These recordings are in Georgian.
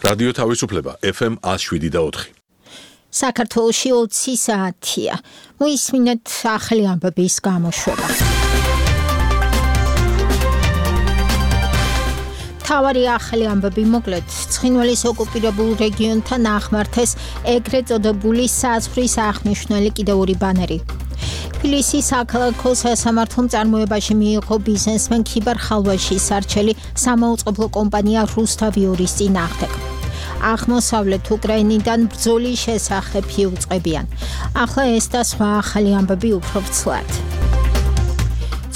რადიო თავისუფლება FM 107.4. საქართველოში 20 საათია. მოისმინეთ ახალი ამბების გამოშვება. თავარი ახალი ამბები მოკლედ. ცხინვალის ოკუპირებულ რეგიონთან ახმართეს ეგრეთ წოდებული საზღვრის აღნიშნული კიდევ ორი ბანერი. თბილისის საქალაქო სასამართლომ წარმოებაში მიიღო ბიზნესმენ ქიბარ ხალვაშის სარჩელი სამაუწყებლო კომპანია რუსთავიორის წინააღმდეგ. აღმოსავლეთ უკრაინიდან ბრძოლის შესახებ იუწყებიან. ახლა ეს და სხვა ახალი ამბები უფრო ვრცლად.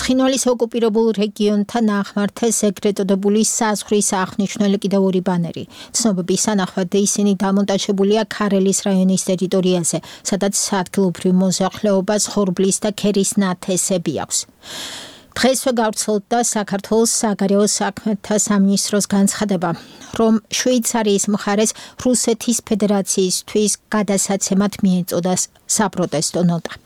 ცხინვალის ოკუპირებულ რეგიონთან ახმართეს ეგრეთ წოდებული საზღვრის აღნიშნული კიდევ ორი ბანერი. ცნობების თანახმად ისინი დამონტაჟებულია ქარელის რაიონის ტერიტორიაზე, სადაც ადგილობრივ მოსახლეობას ხორბლის და ქერის ნათესები აქვს. დღესვე გავრცელდა საქართველოს საგარეო საქმეთა სამინისტროს განცხადება, რომ შვეიცარიის მხარეს რუსეთის ფედერაციისთვის გადასაცემად მიეწოდა საპროტესტო ნოტა.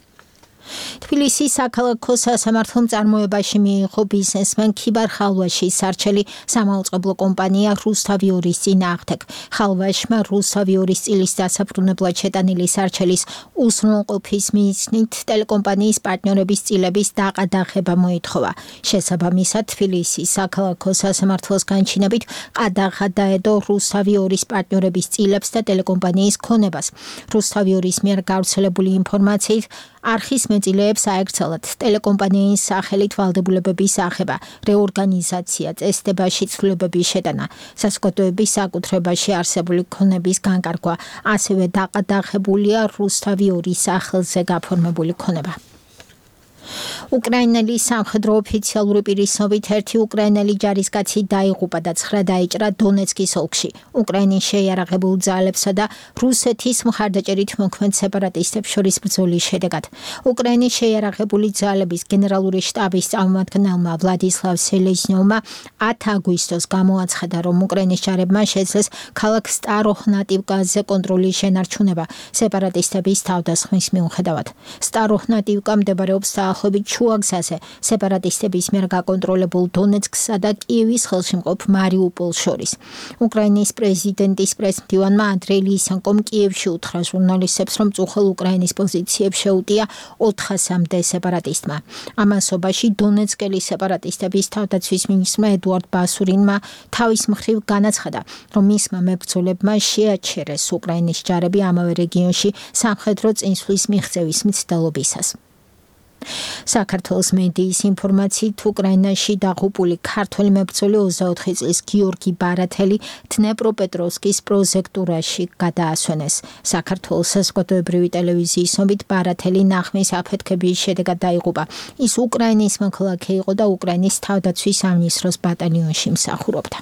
თბილისის საქალაქო სასამართლომ წარმოებაში მიიღო ბიზნესმენ ქიბარ ხალვაშის სარჩელი სამაუწყებლო კომპანია რუსთავიორის წინააღმდეგ. ხალვაშმა რუსთავიორის წილის დასაბრუნებლად შეტანილი სარჩელის უზრუნველყოფის მიზნით ტელეკომპანიის პარტნიორების წილების დაყადაღება მოითხოვა. შესაბამისად, თბილისის საქალაქო სასამართლოს განჩინებით ყადაღა დაედო რუსთავიორის პარტნიორების წილებს და ტელეკომპანიის ქონებას. რუსთავიორის მიერ გავრცელებული ინფორმაციით არხის მეწილეებს აეკრძალათ ტელეკომპანიის სახელით ვალდებულებების აღება, რეორგანიზაცია, წესდებაში ცვლილებების შეტანა, საზოგადოების საკუთრებაში არსებული ქონების განკარგვა, ასევე დაყადაღებულია რუსთავიორის სახელზე გაფორმებული ქონება. უკრაინელი სამხედრო ოფიციალური პირის ცნობით ერთი უკრაინელი ჯარისკაცი დაიღუპა და 9 დაიჭრა დონეცკის ოლქში. უკრაინის შეიარაღებულ ძალებსა და რუსეთის მხარდაჭერით მოქმედ სეპარატისტებს შორის ბრძოლის შედეგად. უკრაინის შეიარაღებული ძალების გენერალური შტაბის წარმომადგენელმა ვლადისლავ სელეზნიოვმა 10 აგვისტოს გამოაცხადა, რომ უკრაინის ჯარებმა შეძლეს ქალაქ სტაროჰნატივკაზე კონტროლის შენარჩუნება სეპარატისტების თავდასხმის მიუხედავად. სტაროჰნატივკა მდებარეობს დაახლოებით შუა გზაზე სეპარატისტების მიერ გაკონტროლებულ დონეცკსა და კიევის ხელშემყოფ მარიუპოლს შორის. უკრაინის პრეზიდენტის პრესმდივანმა ანდრეი ლისენკომ კიევში უთხრა ჟურნალისტებს, რომ წუხელ უკრაინის პოზიციებს შეუტია 400-მდე სეპარატისტმა. ამასობაში დონეცკელი სეპარატისტების თავდაცვის მინისტრმა ედუარდ ბასურინმა თავის მხრივ განაცხადა, რომ მისმა მებრძოლებმა შეაჩერეს უკრაინის ჯარები ამავე რეგიონში სამხედრო წინსვლის მიღწევის მცდელობისას. საქართველოს მედიის ინფორმაციით უკრაინაში დაღუპული ქართველი მებრძოლი 24 წლის გიორგი ბარათელი დნეპროპეტროვსკის პროზექტურაში გადაასვენეს. საქართველოს საზოგადოებრივი ტელევიზიის ცნობით ბარათელი ნახმის აფეთქების შედეგად დაიღუპა. ის უკრაინის მოქალაქე იყო და უკრაინის თავდაცვის სამინისტროს ბატალიონში მსახურობდა.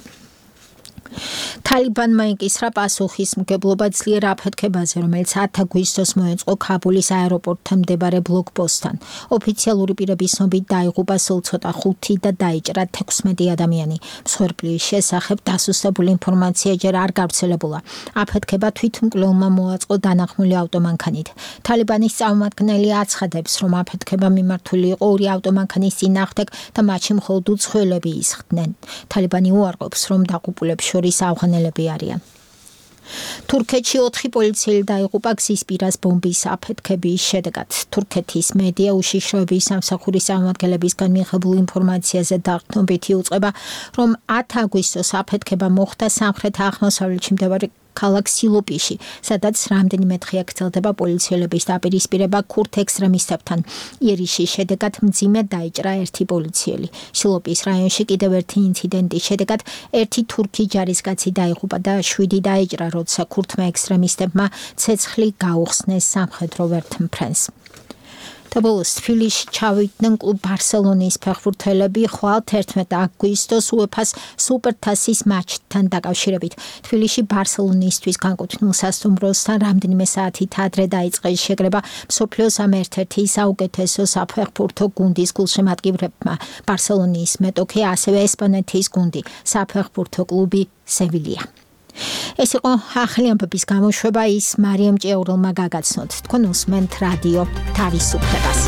თალიბანმა იკისრა პასუხისმგებლობა ძლიერ აფეთქებაზე, რომელიც 10 აგვისტოს მოეწყო ქაბულის აეროპორტთან მდებარე ბლოკპოსტთან. ოფიციალური პირების ცნობით დაიღუპა სულ ცოტა 5 და დაიჭრა 16 ადამიანი. მსხვერპლის შესახებ დასუსტებული ინფორმაცია ჯერ არ გავრცელებულა. აფეთქება თვითმკვლელმა მოაწყო დანახმული ავტომანქანით. თალიბანის წარმომადგენელი აცხადებს, რომ აფეთქება მიმართული იყო 2 ავტომანქანის წინააღმდეგ და მათში მხოლოდ უცხოელები ისხდნენ. თალიბანი უარყოფს, რომ დაღუპულებს შორის ავღანელები არიან. თურქეთში 4 პოლიციელი დაიღუპა გზის პირას ბომბის აფეთქების შედეგად. თურქეთის მედია უშიშროების სამსახურის წარმომადგენლებისგან მიღებულ ინფორმაციაზე დაყრდნობით იუწყება, რომ 10 აგვისტოს აფეთქება მოხდა სამხრეთ-აღმოსავლეთში მდებარე ქალაქ სილოპიში, სადაც რამდენიმე დღე გრძელდება პოლიციელების დაპირისპირება ქურთ ექსტრემისტებთან. იერიშის შედეგად მძიმე დაიჭრა ერთი პოლიციელი. სილოპის რაიონში კიდევ ერთი ინციდენტის შედეგად ერთი თურქი ჯარისკაცი დაიღუპა და 7 დაიჭრა, როცა ქურთმა ექსტრემისტებმა ცეცხლი გაუხსნეს სამხედრო ვერტმფრენს. ბოლოს თბილისში ჩავიდნენ კლუბ ბარსელონის ფეხბურთელები ხვალ 11 აგვისტოს UEFA-ს სუპერთასის მატჩთან დაკავშირებით. თბილისში ბარსელონისთვის განკუთვნილ სასტუმროსთან რამდენიმე საათით ადრე დაიწყეს შეკრება მსოფლიოს ამ ერთ-ერთი საუკეთესო საფეხბურთო გუნდის გულშემატკივრებმა. ბარსელონის მეტოქე ასევე ესპანეთის გუნდი, საფეხბურთო კლუბი სევილია. ეს იყო ახალი ამბების გამოშვება, ის მარიამ ჭიაურელმა გაგაცნოთ. თქვენ უსმენთ რადიო თავისუფლებას.